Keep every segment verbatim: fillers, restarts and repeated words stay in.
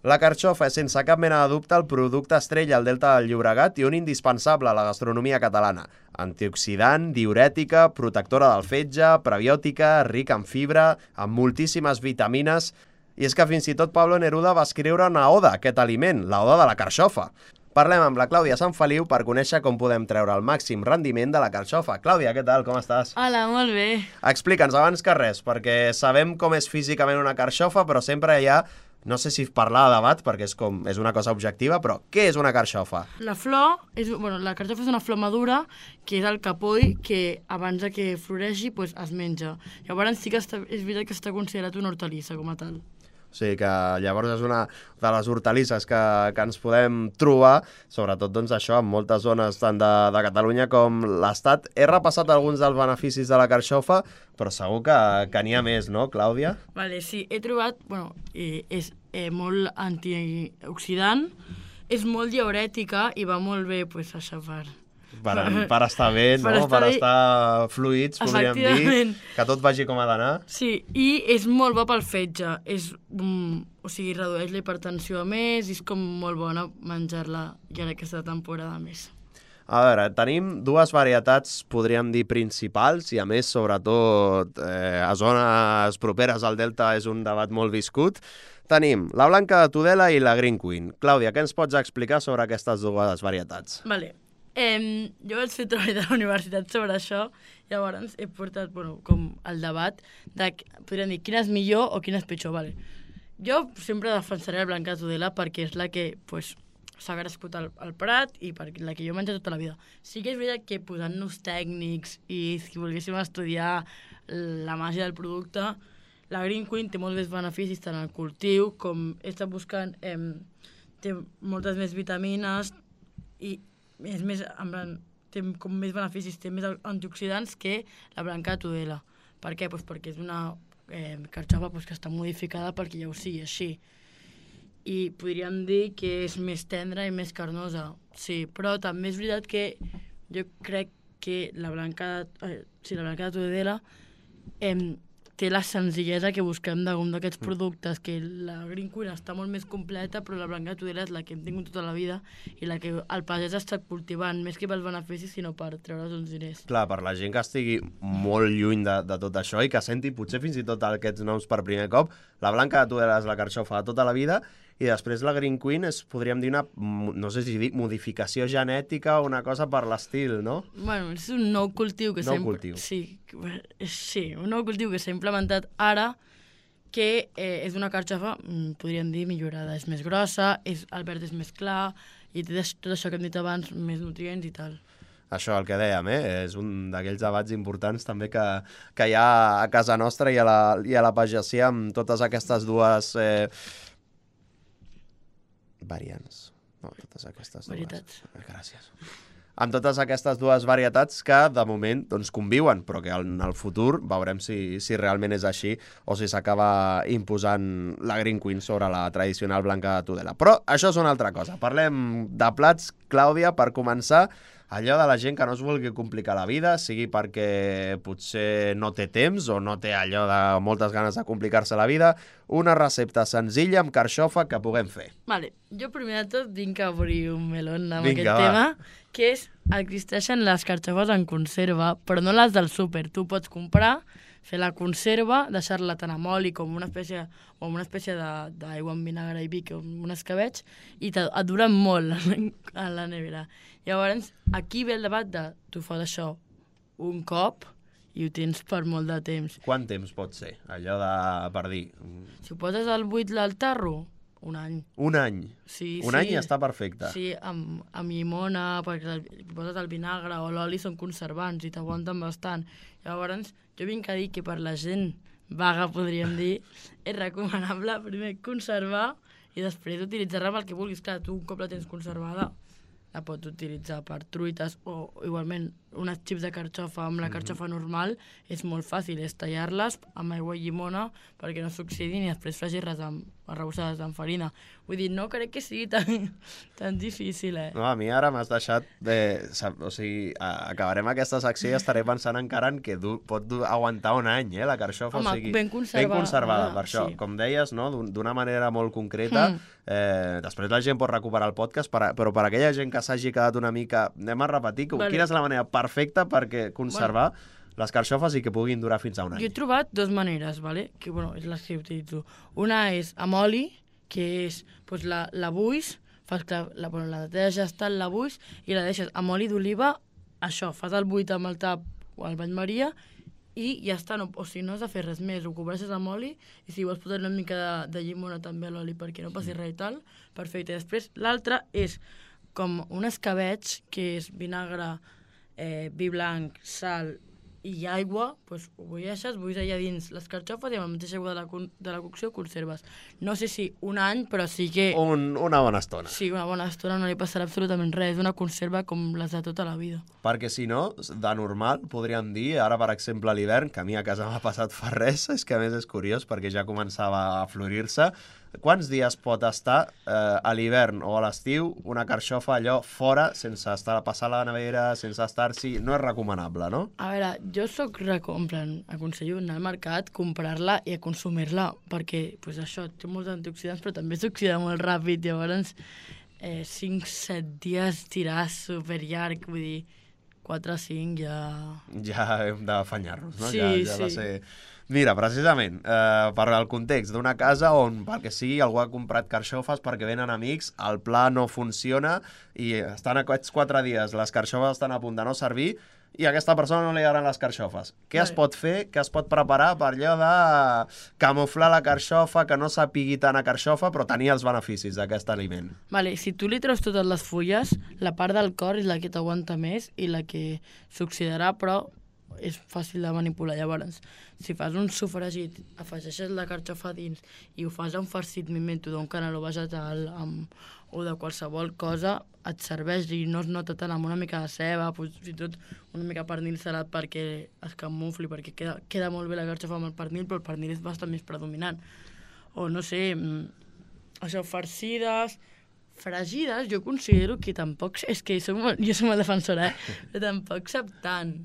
La carxofa és sense cap mena de dubte el producte estrella al Delta del Llobregat i un indispensable a la gastronomia catalana. Antioxidant, diurètica, protectora del fetge, prebiòtica, rica en fibra, amb moltíssimes vitamines. I és que fins i tot Pablo Neruda va escriure una oda a aquest aliment, la oda de la carxofa. Parlem amb la Clàudia Sanfeliu per conèixer com podem treure el màxim rendiment de la carxofa. Clàudia, què tal? Com estàs? Hola, molt bé. Explica'ns abans que res, perquè sabem com és físicament una carxofa, però sempre hi ha, no sé si parlar de debat, perquè és, com, és una cosa objectiva, però què és una carxofa? La flor, és, bueno, la carxofa és una flor madura, que és el capoll que abans de que floreixi pues, es menja. Llavors sí que està, és veritat que està considerat una hortalissa com a tal. O sigui que llavors és una de les hortalisses que, que ens podem trobar, sobretot doncs, això en moltes zones tant de, de Catalunya com l'Estat. He repassat alguns dels beneficis de la carxofa, però segur que, que n'hi ha més, no, Clàudia? Vale, sí, he trobat, bueno, eh, és eh, molt antioxidant, és molt diurètica i va molt bé, pues, això per... Per, per estar bé, no? Per estar, per estar fluids, podríem dir, que tot vagi com ha d'anar. Sí, i és molt bo pel fetge, és, um, o sigui, redueix la hipertensió a més, i és com molt bona menjar-la ja en aquesta temporada més. A veure, tenim dues varietats, podríem dir, principals, i a més, sobretot, eh, a zones properes al Delta és un debat molt viscut. Tenim la blanca de Tudela i la Green Queen. Clàudia, què ens pots explicar sobre aquestes dues varietats? Vale. Eh, jo vaig fer treball de la universitat sobre això, llavors he portat, bueno, com el debat de, podríem dir, quina és millor o quina és pitjor, vale. Jo sempre defensaré la blanca de Tudela perquè és la que, pues, s'ha crescut al, al Prat i per la que jo he menjat tota la vida. Sí que és veritat que posant-nos tècnics i si volguéssim estudiar la màgia del producte, la Green Queen té molts més beneficis tant al cultiu com he estat buscant, eh, té moltes més vitamines i és més, en plan, té com més beneficis, té més antioxidants que la blanca de Tudela. Per què? Pues perquè és una eh, carxofa pues, que està modificada perquè ja ho sigui així. I podríem dir que és més tendra i més carnosa, sí, però també és veritat que jo crec que la blanca, eh, sí, la blanca de Tudela eh, té la senzillesa que busquem d'un d'aquests productes, que la Green Queen està molt més completa, però la blanca de Tudela és la que hem tingut tota la vida i la que el pagès ha estat cultivant, més que pels beneficis, sinó per treure's uns diners. Clar, per la gent que estigui molt lluny de, de tot això i que senti potser fins i tot aquests noms per primer cop, la blanca de Tudela és la carxofa de tota la vida i després la Green Queen és, podríem dir, una, no sé si dic, modificació genètica o una cosa per l'estil, no? Bueno, és un nou cultiu que s'ha... Nou cultiu. Sí, sí, un nou cultiu que s'ha implementat ara que eh, és una carxofa, podríem dir, millorada. És més grossa, és, el verd és més clar i té tot això que hem dit abans, més nutrients i tal. Això, el que dèiem, eh? És un d'aquells debats importants també que, que hi ha a casa nostra i a la, i a la pagesia amb totes aquestes dues... Eh, variants. No, totes aquestes varietats. Dues. Gràcies. Amb totes aquestes dues varietats que, de moment, doncs, conviuen, però que en el futur veurem si, si realment és així o si s'acaba imposant la Green Queen sobre la tradicional blanca de Tudela. Però això és una altra cosa. Parlem de plats, Clàudia, per començar. Allò de la gent que no es vulgui complicar la vida, sigui perquè potser no té temps o no té allò de moltes ganes de complicar-se la vida, una recepta senzilla amb carxofa que puguem fer. Vale, jo primer de tot vinc a obrir un melón amb Vinga, aquest va. tema, que és, existeixen les carxofes en conserva, però no les del súper. Tu pots comprar, fer la conserva, deixar-la tant amb oli com una espècie, o amb una espècie d'aigua amb vinagre i vi, o amb un escabetx, i et duren molt a la nevera. Llavors, aquí ve el debat de tu fas això un cop i ho tens per molt de temps. Quant temps pot ser, allò de, per dir? Si ho poses al buit al tarro, un any. Un any? Sí, un sí. any està perfecte? Sí, amb, amb llimona, perquè el, poses el vinagre o l'oli són conservants i t'aguanten bastant. Llavors, jo vinc a dir que per la gent vaga, podríem dir, és recomanable primer conservar i després utilitzar-la pel que vulguis. Clar, tu un cop la tens conservada la pots utilitzar per truites o igualment unes xips de carxofa amb la carxofa mm-hmm. normal, és molt fàcil, és tallar-les amb aigua i llimona perquè no s'oxidin i després fregir-les amb arrebossades amb farina. Vull dir, no crec que sigui tan, tan difícil, eh? No, a mi ara m'has deixat de... O sigui, acabarem aquesta secció i estaré pensant encara en que du, pot du, aguantar un any, eh, la carxofa. Home, o sigui, ben conservada. Ben conservada, per això. Sí. Com deies, no?, d'una manera molt concreta. Mm. Eh, després la gent pot recuperar el podcast, per, però per aquella gent que s'hagi quedat una mica... Anem a repetir, vale. Quina és la manera perfecta perquè conservar bueno. les carxofes i que puguin durar fins a un any? Jo he trobat dues maneres, ¿vale? Que bueno, és les que utilitzo. Una és amb oli, que és pues, la, la buix, fas que la, bueno, la neteges tal, la buix, i la deixes amb oli d'oliva, això, fas el buit amb el tap o el bany maria, i ja està, no, o sigui, no has de fer res més, ho cobreixes amb oli, i si vols posar una mica de, de llimona també a l'oli perquè no passi res i tal, perfecte. Després, l'altra és com un escabeig, que és vinagre, eh, vi blanc, sal i aigua, doncs ho bulleixes, bulls allà dins les carxofes i amb la mateixa aigua de la, de la cocció conserves. No sé si un any, però sí que... Un, una bona estona. Sí, una bona estona, no li passarà absolutament res. És una conserva com les de tota la vida. Perquè si no, de normal, podríem dir, ara per exemple a l'hivern, que a mi a casa m'ha passat fa res, és que a més és curiós perquè ja començava a florir-se. Quants dies pot estar eh, a l'hivern o a l'estiu una carxofa allò fora, sense estar a passar a la nevera, sense estar-s'hi... No és recomanable, no? A veure, jo soc recomplant, aconsello anar al mercat, comprar-la i a consumir-la, perquè pues, això té molts antioxidants, però també s'oxida molt ràpid, llavors eh, cinc set dies tirar superllarg, vull dir, quatre cinc ja... Ja hem d'afanyar-nos, no? Sí, ja, ja sí. Va ser... Mira, precisament, eh, per al context d'una casa on, pel que sigui, algú ha comprat carxofes perquè venen amics, el pla no funciona i estan aquests quatre dies, les carxofes estan a punt de no servir i a aquesta persona no li agraden les carxofes. Què es pot fer? Què es pot preparar per allò de camuflar la carxofa, que no sapigui tant a carxofa, però tenir els beneficis d'aquest aliment? Vale, si tu li treus totes les fulles, la part del cor és la que t'aguanta més i la que s'oxidarà, però és fàcil de manipular. Llavors, si fas un sofregit, afegeixes la carxofa dins i ho fas un farcit, m'invento, d'un caneló vegetal amb, o de qualsevol cosa, et serveix i no es nota tant amb una mica de ceba, fins i tot una mica pernil salat perquè es camufli, perquè queda, queda molt bé la carxofa amb el pernil, però el pernil és bastant més predominant. O no sé, això, farcides, fregides, jo considero que tampoc... És que som, jo som el defensor, eh? Però tampoc sap tant.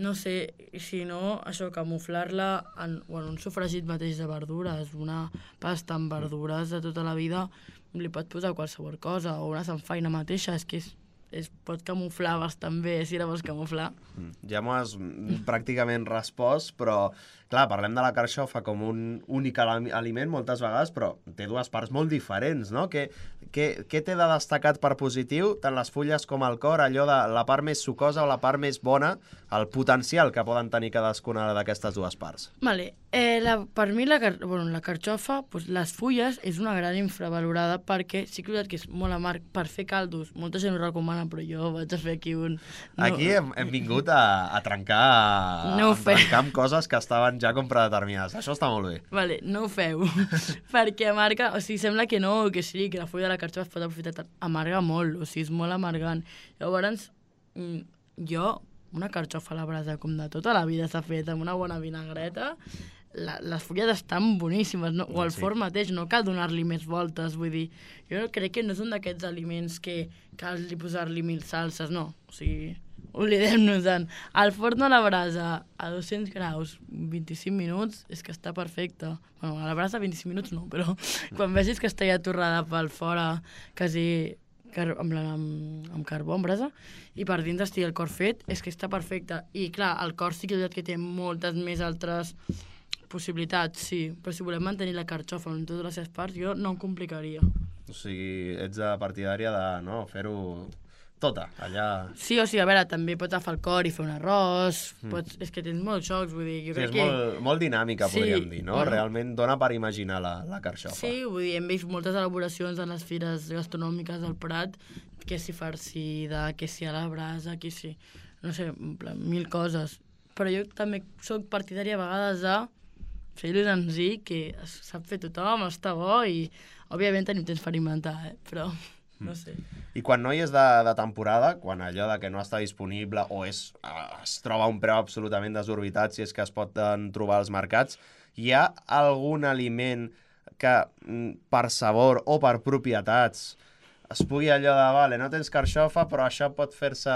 No sé, si no, això, camuflar-la en, en un sofregit mateix de verdures, una pasta amb verdures de tota la vida, li pot posar qualsevol cosa, o una samfaina mateixa, és que és, es pot camuflar bastant bé, si la vols camuflar. Ja m'ho has pràcticament respost, però, clar, parlem de la carxofa com un únic aliment moltes vegades, però té dues parts molt diferents, no? Què, què, què té de destacat per positiu, tant les fulles com el cor, allò de la part més sucosa o la part més bona, el potencial que poden tenir cadascuna d'aquestes dues parts? Vale. Eh, la, per mi la, car bueno, la carxofa, pues, les fulles és una gran infravalorada perquè sí que és molt amarg per fer caldos. Molta gent ho recomana, però jo vaig a fer aquí un... No. Aquí hem, hem vingut a, a trencar no a trencar amb coses que estaven ja com predeterminades. Això està molt bé. Vale, no ho feu. Perquè amarga, o sigui, sembla que no, que sí, que la fulla de la carxofa es pot aprofitar. Amarga molt, o sigui, és molt amargant. Llavors, jo, una carxofa a la brasa, com de tota la vida s'ha fet, amb una bona vinagreta, la, les fulles estan boníssimes, no? O el sí. forn mateix, no cal donar-li més voltes, vull dir, jo crec que no són d'aquests aliments que cal posar-li mil salses, no, o sigui, oblidem-nos-en. El forn a la brasa a dos-cents graus, vint-i-cinc minuts, és que està perfecte. Bueno, a la brasa vint-i-cinc minuts no, però quan vegis que està ja torrada pel fora, quasi car amb, la, amb, amb carbó, amb brasa, i per dins estigui el cor fet, és que està perfecte. I clar, el cor sí que, que té moltes més altres possibilitats, sí, però si volem mantenir la carxofa en totes les seves parts, jo no em complicaria. O sigui, ets de partidària de no, fer-ho tota, allà... Sí, o sigui, a veure, també pots agafar el cor i fer un arròs, mm. pots... és que tens molts jocs, vull dir, jo sí, crec que... que... és molt, molt dinàmica, sí, podríem dir, no? Bueno. Realment dona per imaginar la, la carxofa. Sí, vull dir, hem vist moltes elaboracions en les fires gastronòmiques del Prat, que si farcida, que si a la brasa, que si... no sé, mil coses. Però jo també soc partidària a vegades de fer-ho senzill, que sap fer tothom, està bo i, òbviament, tenim temps per inventar, eh? Però... no sé. I quan no hi és de, de temporada, quan allò de que no està disponible o és, es troba a un preu absolutament desorbitat, si és que es pot trobar als mercats, hi ha algun aliment que per sabor o per propietats es pugui allò de, vale, no tens carxofa, però això pot fer-se...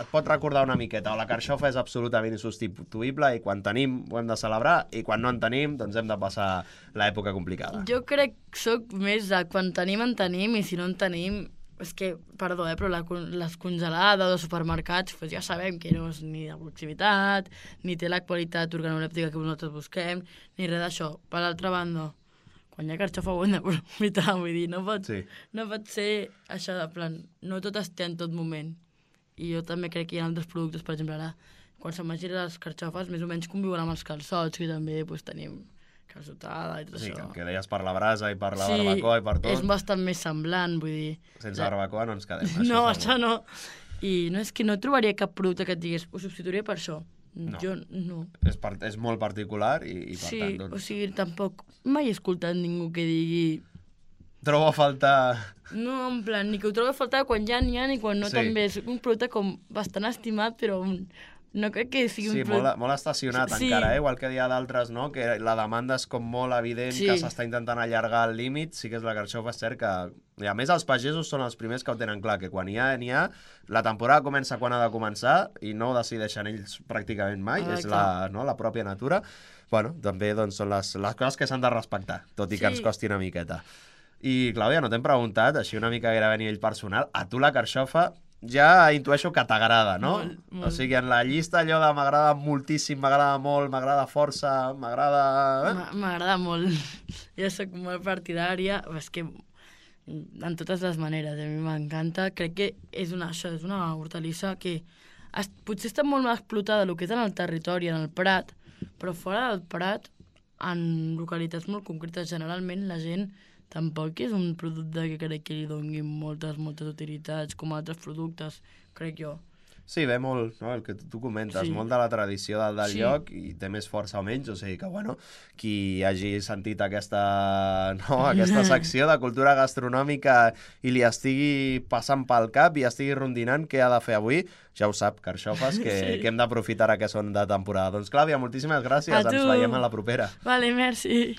et pot recordar una miqueta, o la carxofa és absolutament insubstituïble i quan tenim ho hem de celebrar i quan no en tenim doncs hem de passar l'època complicada. Jo crec que soc més de quan tenim en tenim i si no en tenim... És que, perdó, eh, però la, les congelades dels supermercats pues ja sabem que no és ni de proximitat, ni té la qualitat organolèptica que nosaltres busquem, ni res d'això. Per l'altra banda, quan hi ha carxofa ho hem d'aprofitar, vull dir, no pot, sí. no pot ser això de plan, no tot es té en tot moment. I jo també crec que hi ha altres productes, per exemple, ara, quan se'n vagin les carxofes, més o menys conviuen amb els calçots, que també pues, tenim calçotada i tot sí, això. Sí, que deies per la brasa i per la sí, barbacoa i per tot. És bastant més semblant, vull dir... Sense barbacoa no ens quedem. Això no, això no. I no és que no trobaria cap producte que et digués, ho substituiria per això. No. Jo no. És, per, és molt particular i, i per sí, tant... Doncs... o sigui, tampoc mai he escoltat ningú que digui... Trobo a faltar... No, en plan, ni que ho trobo a faltar quan ja n'hi ha ni quan no sí. també. És un producte com bastant estimat, però... No crec que sigui sí, un... Sí, molt, molt estacionat sí. encara, eh? Igual que hi ha d'altres, no? Que la demanda és com molt evident, sí. que s'està intentant allargar el límit, sí que és la carxofa, és cert que... I a més, els pagesos són els primers que ho tenen clar, que quan hi ha, n'hi ha, la temporada comença quan ha de començar i no ho decideixen ells pràcticament mai, ah, és la, no, la pròpia natura. Bueno, també doncs, són les, les coses que s'han de respectar, tot i sí. que ens costi una miqueta. I, Clàudia, no t'hem preguntat, així una mica gairebé a nivell personal, a tu la carxofa... ja intueixo que t'agrada, no? Molt, molt. O sigui, en la llista allò de m'agrada moltíssim, m'agrada molt, m'agrada força, m'agrada... M'agrada molt. Jo soc molt partidària, és que en totes les maneres, a mi m'encanta. Crec que és una, això, és una hortalissa que es, potser està molt més explotada el que és en el territori, en el Prat, però fora del Prat, en localitats molt concretes, generalment la gent tampoc és un producte que crec que li doni moltes, moltes utilitats com altres productes, crec jo. Sí, ve molt, no? El que tu comentes, sí. molt de la tradició del, del sí. lloc i té més força o menys, o sigui que, bueno, qui hagi sentit aquesta, no, aquesta secció de cultura gastronòmica i li estigui passant pel cap i estigui rondinant què ha de fer avui, ja ho sap, carxofes, que, sí. que hem d'aprofitar ara que són de temporada. Doncs, Clàudia, moltíssimes gràcies, ens veiem a la propera. Vale, merci.